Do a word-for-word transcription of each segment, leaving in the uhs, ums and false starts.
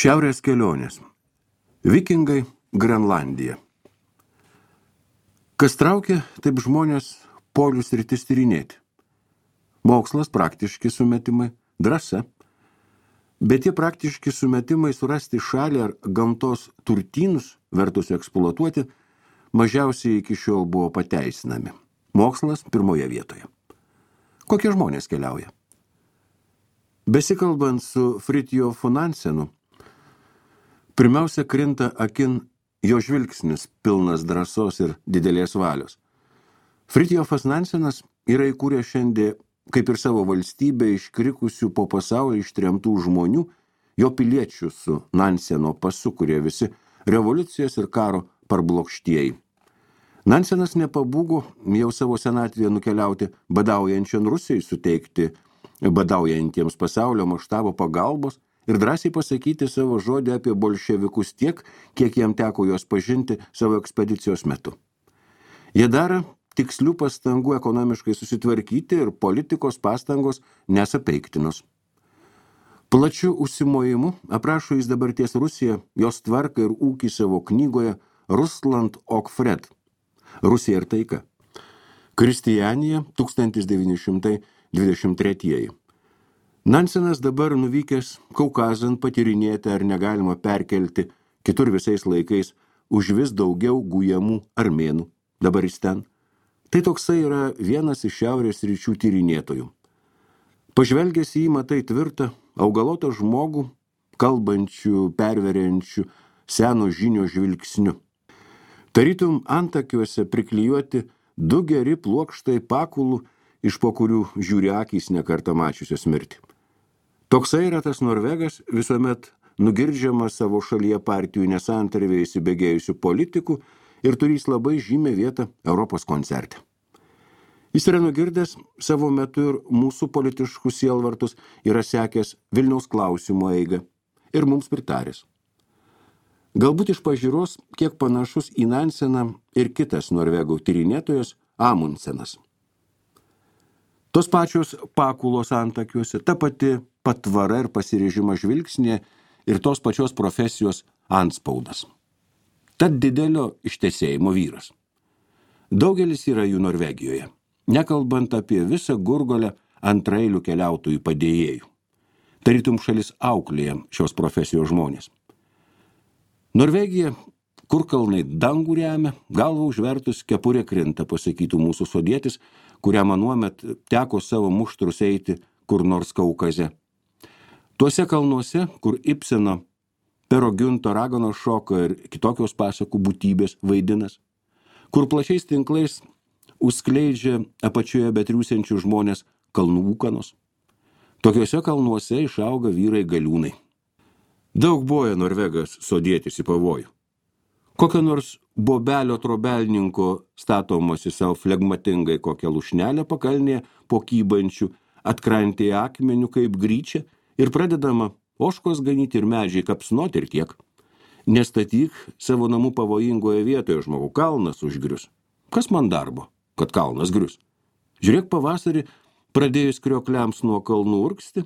Šiaurės kelionės. Vikingai, Grenlandija. Kas traukia, taip žmonės polių sritis tyrinėti. Mokslas, praktiški sumetimai, drąsa. Bet tie praktiški sumetimai surasti šalį ar gamtos turtynus, vertus eksploatuoti, mažiausiai iki šiol buvo pateisinami. Mokslas pirmoje vietoje. Kokie žmonės keliauja? Besikalbant su Fridtjofu Nansenu, pirmiausia krinta akin jo žvilgsnis pilnas drąsos ir didelės valios. Fridtjofas Nansenas yra įkūręs šiandien, kaip ir savo valstybę, iškrikusių po pasaulį ištremtų žmonių, jo piliečių su Nanseno pasu, kurie visi revoliucijos ir karo parblokštieji. Nansenas nepabūgo jau savo senatvėje nukeliauti badaujančion Rusijai, suteikti badaujantiems pasaulio maštabo pagalbos ir drąsiai pasakyti savo žodį apie bolševikus tiek, kiek jam teko juos pažinti savo ekspedicijos metu. Jie daro tikslių pastangų ekonomiškai susitvarkyti ir politikos pastangos nesapeiktinos. Plačiu užsimojimu aprašo jis dabarties Rusiją, jos tvarką ir ūkį savo knygoje Rusland och Fred. Rusija ir taika. Kristianija, tūkstantis devyni šimtai dvidešimt trečiieji. Nansenas dabar nuvykęs Kaukazan patyrinėti, ar negalima perkelti kitur visais laikais už vis daugiau gujamų armėnų. Dabar jis ten. Tai toksai yra vienas iš šiaurės ryčių tyrinėtojų. Pažvelgęs į jį matai tvirtą, augalotą žmogų, kalbančių, perveriančių seno žinio žvilgsniu. Tarytum antakiuose priklijuoti du geri plokštai pakulų, iš po kurių žiūri akys nekartą mačiusios mirtį. Toksai yra tas Norvegas, visuomet nugirdžiamas savo šalyje partijų nesantarvėje įsibėgėjusių politikų ir turys labai žymę vietą Europos koncerte. Jis yra nugirdęs savo metu ir mūsų politiškus sielvartus, yra sekęs Vilniaus klausimo eigą ir mums pritaręs. Galbūt iš pažiūros kiek panašus į Nanseną ir kitas norvegų tyrinėtojas Amundsenas. Tos pačios pakulos antakiuose, ta pati patvara ir pasirežimas žvilgsnė ir tos pačios profesijos antspaudas. Tad didelio ištesėjimo vyras. Daugelis yra jų Norvegijoje, nekalbant apie visą Gurgolę antraeilių keliautojų padėjėjų. Tarytum šalis auklėja šios profesijos žmonės. Norvegija, kur kalnai dangų remia, galva užvertus kepurė krinta, pasakytų mūsų sodietis, kuriam anuomet teko savo muštrus eiti kur nors Kaukaze. Tuose kalnuose, kur Ibseno, Pero Giunto raganos šoko ir kitokios pasakų būtybės vaidinas, kur plačiais tinklais užskleidžia apačioje betriūsiančių žmonės kalnų ūkanos. Tokiuose kalnuose išauga vyrai galiūnai. Daug boja Norvegas sodėtis į pavojų. Kokio nors bobelio trobelninko statomosi savo flegmatingai kokią lušnelę pakalnėje po kybančių atkrantėje akmenių kaip gryčia ir pradedama ožkos ganyti ir medžiai kapsnoti ir tiek. Nestatyk savo namų pavojingoje vietoje, žmogų, kalnas užgrius. Kas man darbo, kad kalnas grius? Žiūrėk, pavasarį pradėjus kriokliams nuo kalnų urgsti,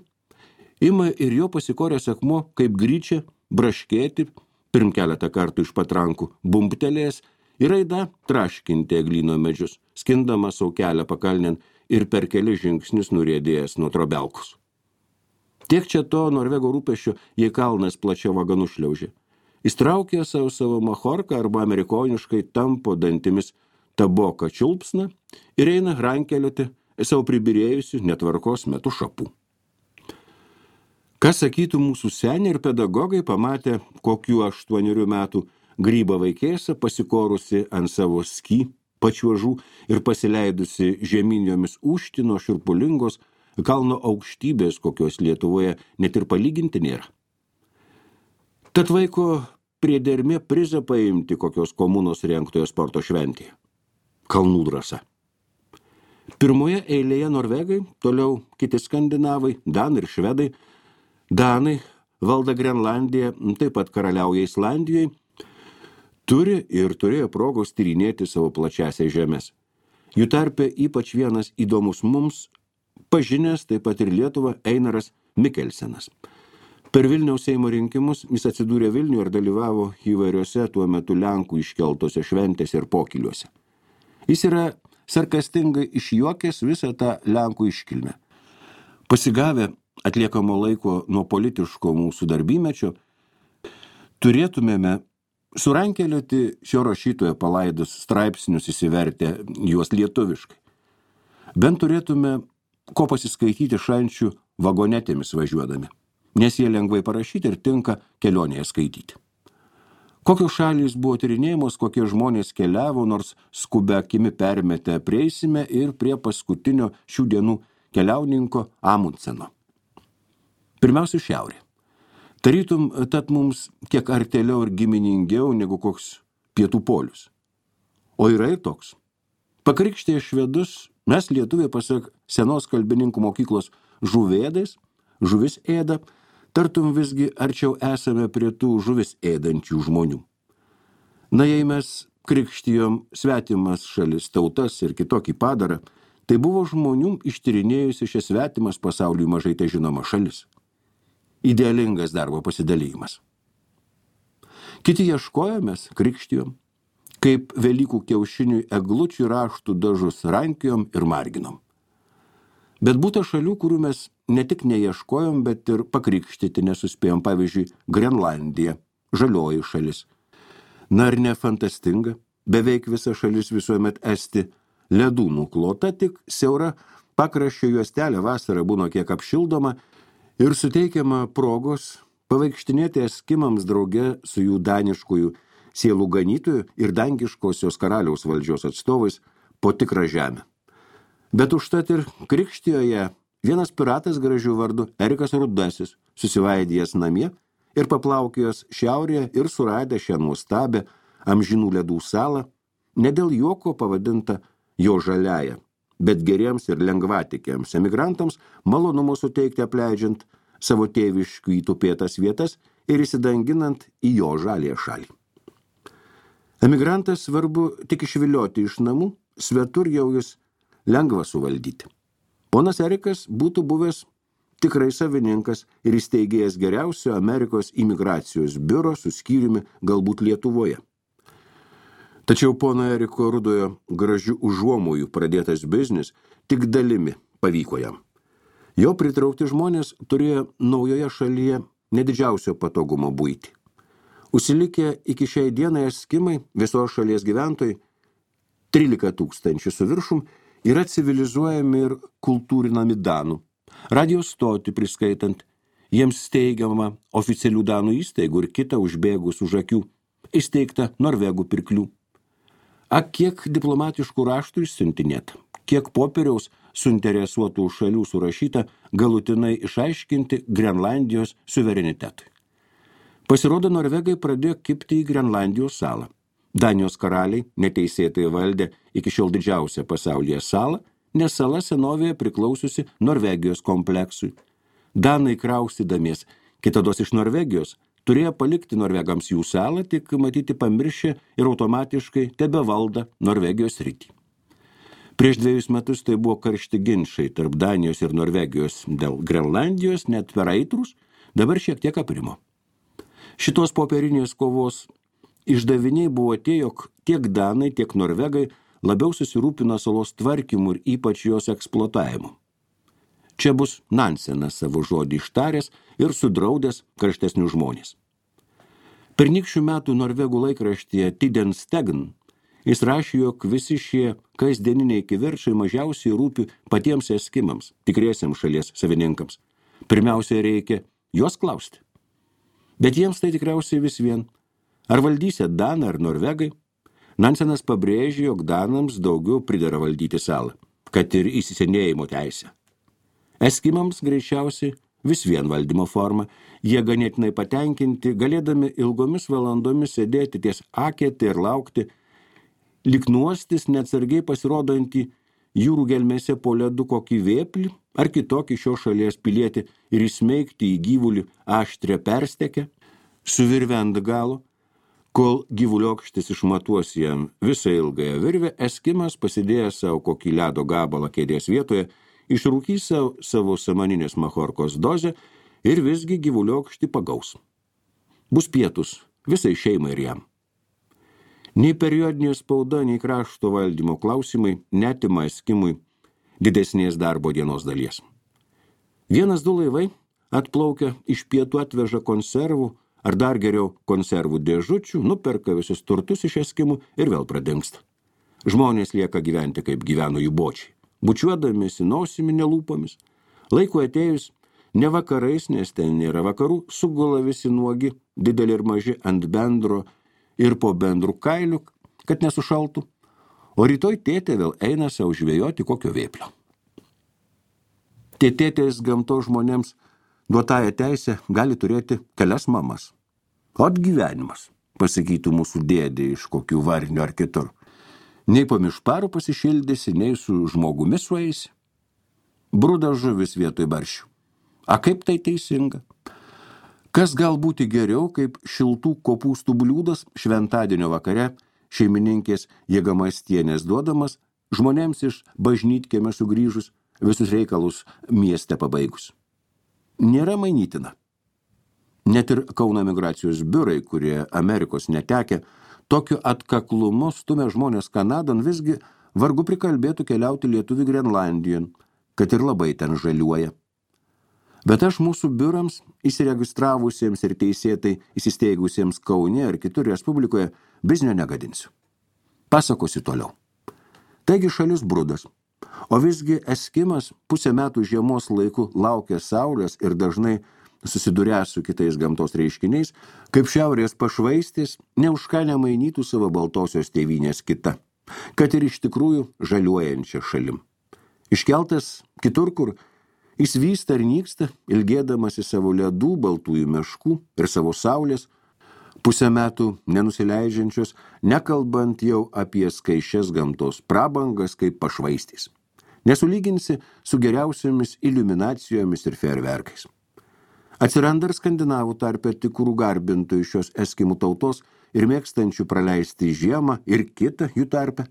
ima ir jo pasikoręs akmuo kaip gryčia braškėti, pirm keletą kartų iš patrankų bumptelės ir aida traškinti eglyno medžius, skindama sau kelią pakalnėn ir per keli žingsnius nuriedėjęs nuo trobelkus. Tiek čia to Norvego rūpesčio, jei kalnas plačia vaganu šliaužė. Jis traukė savo savo machorką arba amerikoniškai tampo dantimis taboką čiulpsną ir eina rankelioti savo pribirėjusių netvarkos metu šapų. Kas sakytų mūsų seniai ir pedagogai pamatę kokių aštuonerių metų grybą vaikėsą pasikorusi ant savo sky pačiuožų ir pasileidusi žeminjomis užtino širpulingos kalno aukštybės, kokios Lietuvoje net ir palyginti nėra. Tad vaiko priedermė prizą paimti kokios komunos rengtoje sporto šventėje. Kalnų drąsa. Pirmoje eilėje Norvegai, toliau kiti skandinavai, danai ir švedai. Danai valda Grenlandiją, taip pat karaliauja Islandijai, turi ir turėjo progos tyrinėti savo plačiasias žemės. Jų tarpe ypač vienas įdomus mums, pažinęs taip pat ir Lietuvą, Einaras Mikkelsenas. Per Vilniaus Seimo rinkimus jis atsidūrė Vilniuje ir dalyvavo įvairiose tuo metu Lenkų iškeltose šventėse ir pokyliuose. Jis yra sarkastingai išjuokęs visą tą Lenkų iškilmę. Pasigavę atliekamo laiko nuo politiško mūsų darbymečio, turėtumėme surankelioti šio rašytojo palaidus straipsnius įsivertę juos lietuviškai. Bent turėtume ko pasiskaityti šančių vagonetėmis važiuodami, nes jie lengvai parašyti ir tinka kelionėje skaityti. Kokios šalys buvo tyrinėjimos, kokie žmonės keliavo, nors skubia akimi permetę prieisime ir prie paskutinio šių dienų keliauninko Amundseno. Pirmiausia, šiaurė. Tarytum, tad mums kiek artėliau ir giminingiau negu koks pietų polius. O yra ir toks. Pakrikštėję švedus, mes lietuviai pasak senos kalbininkų mokyklos žuvėdais, žuvis ėda, tartum visgi arčiau esame prie tų žuvis ėdančių žmonių. Na, jei mes krikštijom svetimas šalis, tautas ir kitokį padarą, tai buvo žmonių ištyrinėjusi šias svetimas pasauliui mažai tai žinoma šalis. Idealingas darbo pasidalymas. Kiti ieškojomės, krikštijom, kaip Velykų kiaušiniui eglučių raštų dažus rankiojom ir marginom. Bet būta šalių, kurių mes ne tik neieškojom, bet ir pakrikštyti nesuspėjom, pavyzdžiui, Grenlandija, žalioji šalis. Na ar ne fantastinga, beveik visa šalis visuomet esti ledų nuklota, tik siaura pakraščio juostelė vasarą būna kiek apšildoma ir suteikiama progos pavaikštinėti eskimams drauge su jų daniškųjų sielų ganytojų ir dangiškosios karaliaus valdžios atstovais po tikrą žemę. Bet užtat ir Krikštijoje vienas piratas gražių vardu Erikas Rudasis susivaidėjęs namie ir paplaukėjęs šiaurėje ir suradė šią nuostabę amžinų ledų salą, ne dėl juoko pavadinta jo žaliaja, bet geriems ir lengvatikiams emigrantams malonumo suteikti apleidžiant savo tėviškių įtupėtas vietas ir įsidanginant į jo žalėje šalį. Emigrantas svarbu tik išvilioti iš namų, svetur jau jis lengva suvaldyti. Ponas Erikas būtų buvęs tikrai savininkas ir įsteigėjęs geriausio Amerikos imigracijos biuro su skyriumi galbūt Lietuvoje. Tačiau pono Eriko Rudojo gražių užuomojų pradėtas biznis tik dalimi pavyko jam. Jo pritraukti žmonės turėjo naujoje šalyje nedidžiausio patogumo buitį. Užsilikę iki šiai dienai eskimai, visos šalies gyventojai, trylika tūkstančių su viršum, yra civilizuojami ir kultūrinami danų. Radijos stotį priskaitant, jiems steigiama oficialių danų įstaigų ir kita užbėgus už akių, įsteigta Norvegų pirklių. A kiek diplomatiškų raštų išsiuntinėta, kiek popieriaus suinteresuotų šalių surašyta galutinai išaiškinti Grenlandijos suverenitetui. Pasirodo, Norvegai pradėjo kibti į Grenlandijos salą. Danijos karaliai neteisėtai valdė iki šiol didžiausią pasaulyje salą, nes sala senovėje priklausiusi Norvegijos kompleksui. Danai kraustydamies kitados iš Norvegijos turėjo palikti norvegams jų salą, tik matyti pamiršę ir automatiškai tebevalda Norvegijos sritį. Prieš dviejus metus tai buvo karšti ginčai tarp Danijos ir Norvegijos dėl Grenlandijos, net per aitrus, dabar šiek tiek aprimo. Šitos popierinės kovos išdaviniai buvo tie, jog tiek danai, tiek norvegai labiau susirūpino salos tvarkymu ir ypač jos eksploatavimu. Čia bus Nansenas savo žodį ištaręs ir sudraudęs karštesnių žmonės. Pernykščių metų norvegų laikraštyje Tiden Stegen jis rašė, jog visi šie kasdieniniai kivirčai mažiausiai rūpi patiems eskimams, tikriesiems šalies savininkams. Pirmiausia, reikia juos klausti. Bet jiems tai tikriausiai vis vien. Ar valdysia danai ar norvegai? Nansenas pabrėžė, jog danams daugiau pridera valdyti salą, kad ir įsisenėjimo teisę. Eskimams greičiausiai vis vien valdymo forma, jie ganėtinai patenkinti, galėdami ilgomis valandomis sėdėti ties akėtį ir laukti, lyg nuostis neatsargiai pasirodantį jūrų gelmėse po ledu kokį vėplį ar kitokį šios šalies pilietį ir įsmeigti į gyvulį aštrę perstekę, su virve ant galo, kol gyvuliokštis išmatuos jam visą ilgąją virvę, eskimas pasidėjęs savo kokį ledo gabalą kėdės vietoje, išrūkys savo, savo samaninės machorkos dozę ir visgi gyvuliokštį pagaus. Bus pietus visai šeimai ir jam. Nei periodinė spauda, nei krašto valdymo klausimai netima eskimui didesnės darbo dienos dalies. Vienas du laivai atplaukia iš pietų atveža konservų, ar dar geriau konservų dėžučių, nuperka visus turtus iš eskimų ir vėl pradingsta. Žmonės lieka gyventi, kaip gyveno jų bočiai, bučiuodamėsi nosimi nelūpomis. Laiko atėjus, ne vakarais, nes ten nėra vakarų, sugula visi nuogi, dideli ir maži, ant bendro ir po bendrų kailių, kad nesušaltų, o rytoj tėtė vėl eina savo žvejoti kokio vėplio. Tie tėtės gamtos žmonėms duotąją teisę gali turėti kelias mamas. Ot gyvenimas, pasakytų mūsų dėdė iš kokių varnių ar kitur. Nei po mišparų pasišildysi, nei su žmogumi sueisi. Bruda žuvis vietoj barščių. A kaip tai teisinga? Kas gal būti geriau, kaip šiltų kopūstų bliūdas šventadienio vakare šeimininkės Jėgamastienės duodamas, žmonėms iš bažnytkiemio sugrįžus, visus reikalus mieste pabaigus. Nėra mainytina. Net ir Kauno migracijos biurai, kurie Amerikos netekę, tokiu atkaklumu stumia žmonės Kanadon, visgi vargu prikalbėtų keliauti lietuvių Grenlandijon, kad ir labai ten žaliuoja. Bet aš mūsų biurams, įsiregistravusiems ir teisėtai įsisteigusiems Kaune ar kitur Respublikoje, biznio negadinsiu. Pasakosiu toliau. Taigi šalis brudas, o visgi eskimas pusę metų žiemos laiku laukia saulės ir dažnai susidūręs su kitais gamtos reiškiniais, kaip šiaurės pašvaistis, ne už ką nemainytų savo baltosios tėvynės kita, kad ir iš tikrųjų žaliuojančia šalim. Iškeltas kitur, kur jis vysta ir nyksta, ilgėdamas į savo ledų, baltųjų meškų ir savo saulės, pusę metų nenusileidžiančios, nekalbant jau apie skaičias gamtos prabangas kaip pašvaistys. Nesulyginsi su geriausiamis iliuminacijomis ir fejerverkais. Atsiranda ir skandinavų tarpe tikrų garbintojų šios eskimų tautos ir mėgstančių praleisti žiemą ir kitą jų tarpe.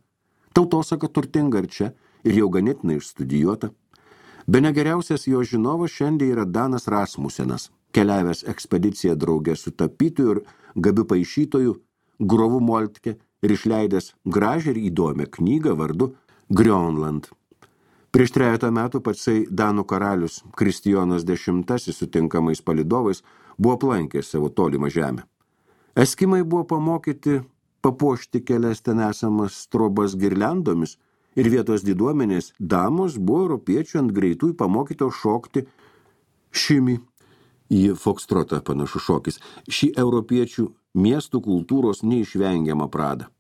Tautosaka turtinga ir čia, ir jau ganėtinai išstudijuota. Bene geriausias jo žinovas šiandien yra Danas Rasmusenas, keliavęs ekspediciją draugę su tapytoju ir gabiu paišytoju Grovu Moltke ir išleidęs gražią ir įdomią knygą vardu Grönland. Prieš trejetą metų patsai Danų karalius Kristijonas Dešimtasis sutinkamais palidovais buvo aplankęs savo tolimą žemę. Eskimai buvo pamokyti papuošti kelias ten esamas trobas girliandomis ir vietos diduomenės damos buvo europiečių ant greitųjų pamokyto šokti šimį. Į fokstrotą panašus šokis. Šį europiečių miestų kultūros neišvengiamą pradą.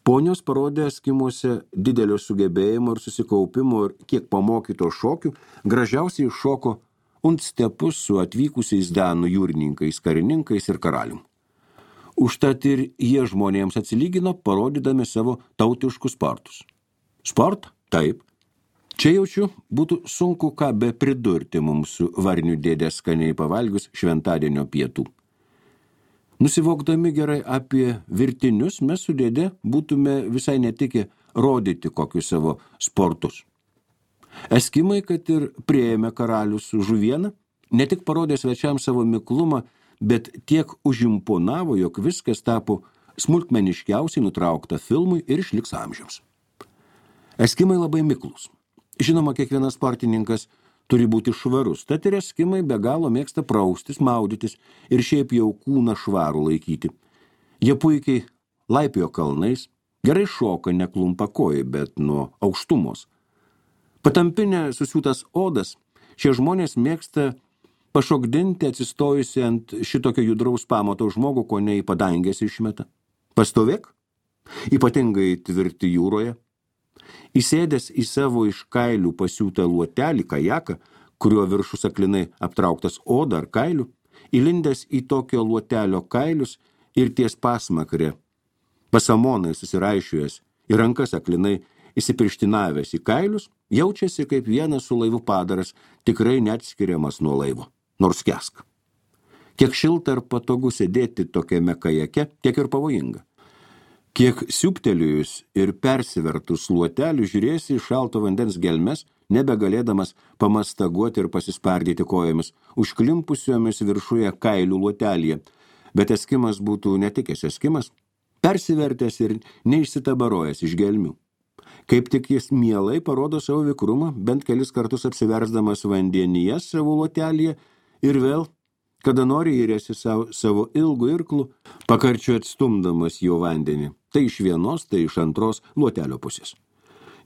Ponios parodė eskimuose didelio sugebėjimo ir susikaupimo ir kiek pamokyto šokių, gražiausiai šoko ant stepus su atvykusiais danų jūrininkais, karininkais ir karalium. Užtat ir jie žmonėms atsilygino, parodydami savo tautiškus sportus. Sport? Taip. Čia jaučiu, būtų sunku ką be pridurti mums su varnių dėdė skaniai pavalgius šventadienio pietų. Nusivokdami gerai apie virtinius, mes su dėdė būtume visai netikę rodyti kokius savo sportus. Eskimai, kad ir priėmė karalius su žuviena, ne tik parodė svečiams savo miklumą, bet tiek užimponavo, jog viskas tapo smulkmeniškiausiai nutraukta filmui ir išliks amžiams. Eskimai labai miklus. Žinoma, kiekvienas sportininkas turi būti švarus, tad ir eskimai be galo mėgsta praustis, maudytis ir šiaip jau kūną švarų laikyti. Jie puikiai laipiojo kalnais, gerai šoka neklumpa kojai, bet nuo aukštumos. Patampinę susiūtas odas, šie žmonės mėgsta pašokdinti atsistojusi ant šitokio judraus pamato žmogų, ko ne į padangės išmeta. Pastovėk, ypatingai tvirti jūroje. Įsėdęs į savo iš kailių pasiūtą luotelį, kajaką, kurio viršus aklinai aptrauktas oda ar kailių, įlindęs į tokio luotelio kailius ir ties pasmakrė, pasamonai susiraišiojęs ir rankas aklinai įsipirštinavęs į kailius, jaučiasi kaip vienas su laivu padaras, tikrai neatskiriamas nuo laivo, nors kesk. Kiek šilta ir patogu sėdėti tokiame kajake, tiek ir pavojinga. Kiek siūptelėjus ir persivertus luotelių žiūrėsi į šalto vandens gelmes, nebegalėdamas pamastaguoti ir pasispardyti kojomis, užklimpusiomis viršuje kailių luotelėje, bet eskimas būtų netikęs eskimas, persivertęs ir neišsitabarojęs iš gelmių. Kaip tik jis mielai parodo savo vikrumą, bent kelis kartus apsiversdamas vandenyje savo luotelėje ir vėl, kada nori įrėsi savo, savo ilgų irklų, pakarčiu atstumdamas jo vandenį, tai iš vienos, tai iš antros luotelio pusės.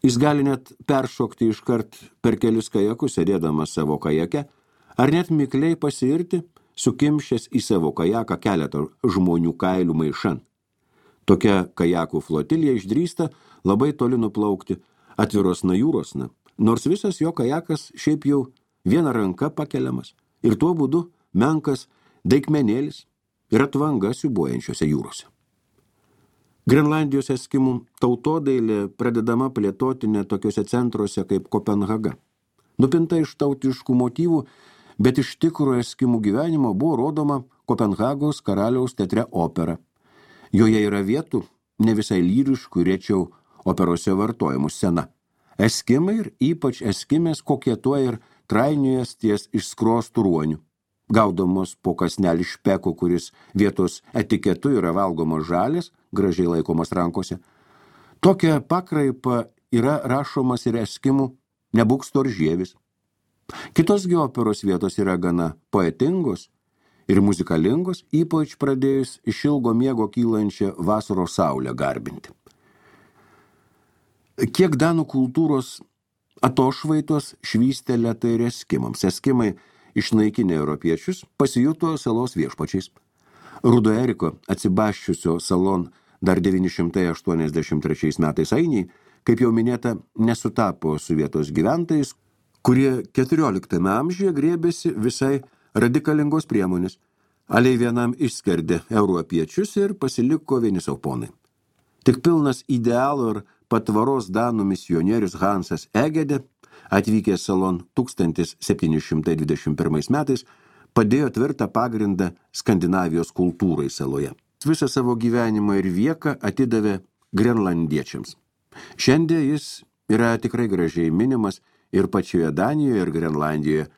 Jis gali net peršokti iškart per kelis kajakus, sėdėdamas savo kajake, ar net mikliai pasiirti, sukimšęs į savo kajaką keletą žmonių kailių maišan. Tokia kajakų flotilija išdrįsta labai toli nuplaukti atvirosna jūrosna, nors visas jo kajakas šiaip jau viena ranka pakeliamas ir tuo būdu menkas daikmenėlis ir atvanga siūbuojančiose jūrose. Grenlandijos eskimų tautodailė pradedama plėtoti net tokiuose centruose kaip Kopenhaga. Nupinta iš tautiškų motyvų, bet iš tikro eskimų gyvenimo buvo rodoma Kopenhagos karaliaus teatre opera. Joje yra vietų, ne visai lyriškų, rečiau operose vartojimų scena. Eskimai ir ypač eskimės kokietuoja ir trainiojas ties išskrostų ruonių. Gaudamos po kasnelį špeko, kuris vietos etiketu yra valgomos žalės, gražiai laikomas rankose. Tokia pakraipa yra rašomas ir eskimų nebūk storžievis. Kitos gi operos vietos yra gana poetingos ir muzikalingos, ypač pradėjus iš ilgo miego kylančią vasaros saulę garbinti. Kiek danų kultūros atošvaitos švystelė tai ir eskimams. Eskimai išnaikinę europiečius pasijuto salos viešpačiais. Rudo Eriko atsibaščiusio salon dar devyni šimtai aštuoniasdešimt trečiais metais ainiai, kaip jau minėta, nesutapo su vietos gyventojais, kurie keturioliktame amžiuje grėbėsi visai radikalingos priemonės. Aliai vienam išskerdė europiečius ir pasiliko vieni sau ponai. Tik pilnas idealo ir patvaros danų misionierius Hansas Egede, atvykęs salon tūkstantis septyni šimtai dvidešimt pirmais metais, padėjo tvirtą pagrindą Skandinavijos kultūrai saloje. Visą savo gyvenimą ir vieką atidavė grenlandiečiams. Šiandien jis yra tikrai gražiai minimas ir pačioje Danijoje ir Grenlandijoje.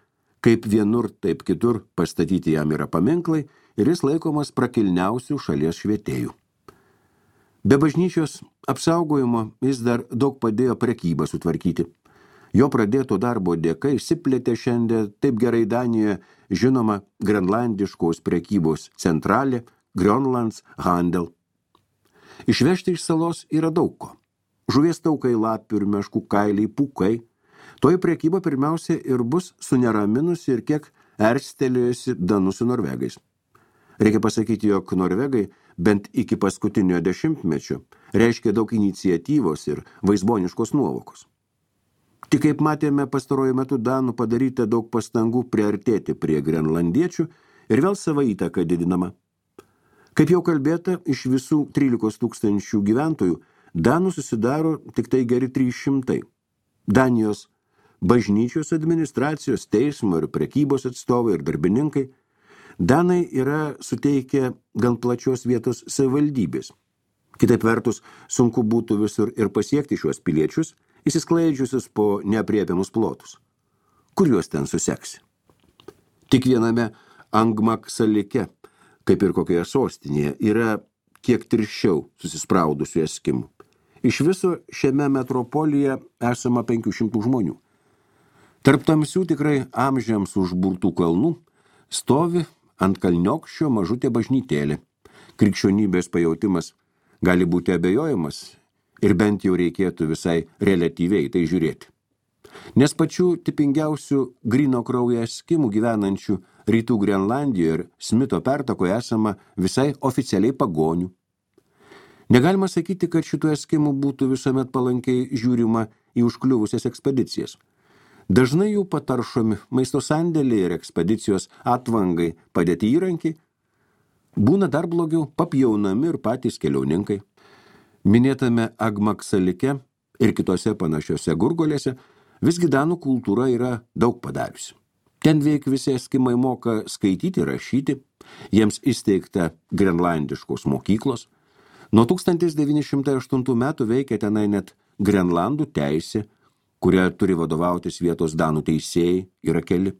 Kaip vienur, taip kitur pastatyti jam yra paminklai ir jis laikomas prakilniausių šalies švietėjų. Be bažnyčios apsaugojimo jis dar daug padėjo prekybą sutvarkyti. Jo pradėto darbo dėka išsiplėtė šiandien taip gerai Danijoje žinoma grenlandiškos prekybos centralė Grönlands Handel. Išvežti iš salos yra daug ko. Žuvies taukai, lapių ir meškų kailiai, pūkai. Toji prekyba pirmiausia ir bus suneraminusi ir kiek erstelėjusi danų su norvegais. Reikia pasakyti, jog norvegai bent iki paskutinio dešimtmečio reiškia daug iniciatyvos ir vaizboniškos nuovokos. Tik kaip matėme pastaruoju metu danų padaryta daug pastangų priartėti prie grenlandiečių ir vėl savo įtaką didinama. Kaip jau kalbėta, iš visų trylikos tūkstančių gyventojų danų susidaro tik tai geri trys šimtai. Danijos bažnyčios administracijos, teismo ir prekybos atstovai ir darbininkai. Danai yra suteikę gan plačios vietos savivaldybės. Kitaip vertus, sunku būtų visur ir pasiekti šiuos piliečius, įsisklaidžiusius po neaprėpiamus plotus. Kur juos ten suseksi? Tik viename Angmaksalike, kaip ir kokioje sostinėje, yra kiek tirščiau susispraudusių eskimų. Iš viso šiame metropolyje esama penkių šimtų žmonių. Tarp tamsių tikrai amžiams užburtų kalnų stovi ant kalniokščio mažutė bažnytėlė. Krikščionybės pajautimas gali būti abejojimas ir bent jau reikėtų visai reliatyviai tai žiūrėti. Nes pačių tipingiausių gryno kraujo eskimų gyvenančių rytų Grenlandijoje ir Smito pertakoje esama visai oficialiai pagonių. Negalima sakyti, kad šitų eskimų būtų visuomet palankiai žiūrima į užkliuvusias ekspedicijas. Dažnai jų pataršomi maisto sandėliai ir ekspedicijos atvangai padėti įrankiai, būna dar blogiau papjaunami ir patys keliauninkai. Minėtame Angmaksalike ir kitose panašiose gurgolėse visgi danų kultūra yra daug padariusi. Ten veik visi eskimai moka skaityti ir rašyti, jiems įsteigta grenlandiškos mokyklos. Nuo tūkstantis devyni šimtai aštuntų metų veikia tenai net Grenlandų teisė, kuria turi vadovautis vietos danų teisėjai, yra keli.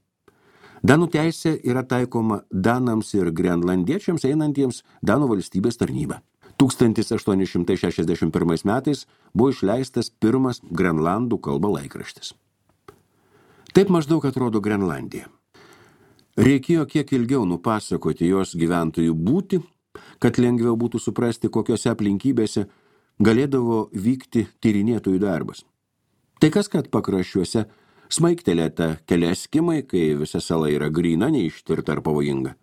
Danų teisė yra taikoma danams ir grenlandiečiams einantiems Danų valstybės tarnybą. tūkstantis aštuoni šimtai šešiasdešimt pirmais metais buvo išleistas pirmas Grenlandų kalba laikraštis. Taip maždaug atrodo Grenlandija. Reikėjo kiek ilgiau nupasakoti jos gyventojų būtį, kad lengviau būtų suprasti, kokiose aplinkybėse galėdavo vykti tyrinėtojų darbas. Tai kas, kad pakraščiuose smaigtelėta keli eskimai, kai visa sala yra gryna, neištvirta ar pavojinga.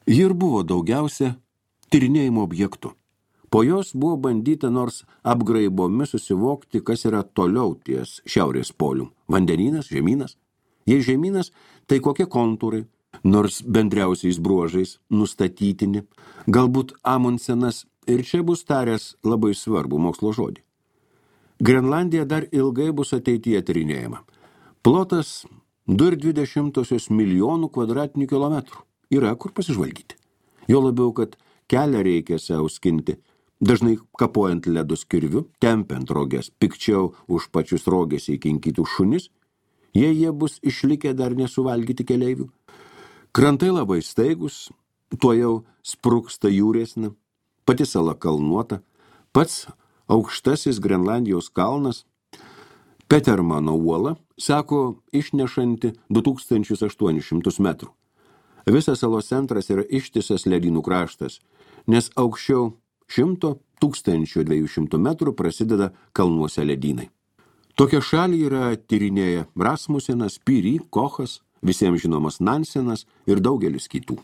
Ji ir buvo daugiausia tyrinėjimo objektų. Po jos buvo bandyta nors apgraibomis susivokti, kas yra toliau ties šiaurės polium. Vandenynas, žemynas. Jei žemynas, tai kokie kontūrai, nors bendriausiais bruožais nustatytini. Galbūt Amundsenas ir čia bus taręs labai svarbų mokslo žodį. Grenlandija dar ilgai bus ateityje tyrinėjama. Plotas du ir dvi dešimtosios milijonų kvadratinių kilometrų. Yra kur pasižvalgyti. Jo labiau, kad kelią reikia sauskinti, dažnai kapojant ledus kirviu, tempiant roges, pikčiau už pačius rogės įkinkytų šunis, jei jie bus išlikę dar nesuvalgyti keleivių. Krantai labai staigus, tuo jau spruksta jūresna, pati sala kalnuota, pats aukštasis Grenlandijos kalnas, Petermano uola, sako, išnešanti du tūkstančius aštuonis šimtus metrų. Visas salos centras yra ištisas ledynų kraštas, nes aukščiau šimto tūkstančių dviejų šimtų metrų prasideda kalnuose ledynai. Tokią šalį yra tyrinėję Rasmusenas, Piri, Kochas, visiems žinomas Nansenas ir daugelis kitų.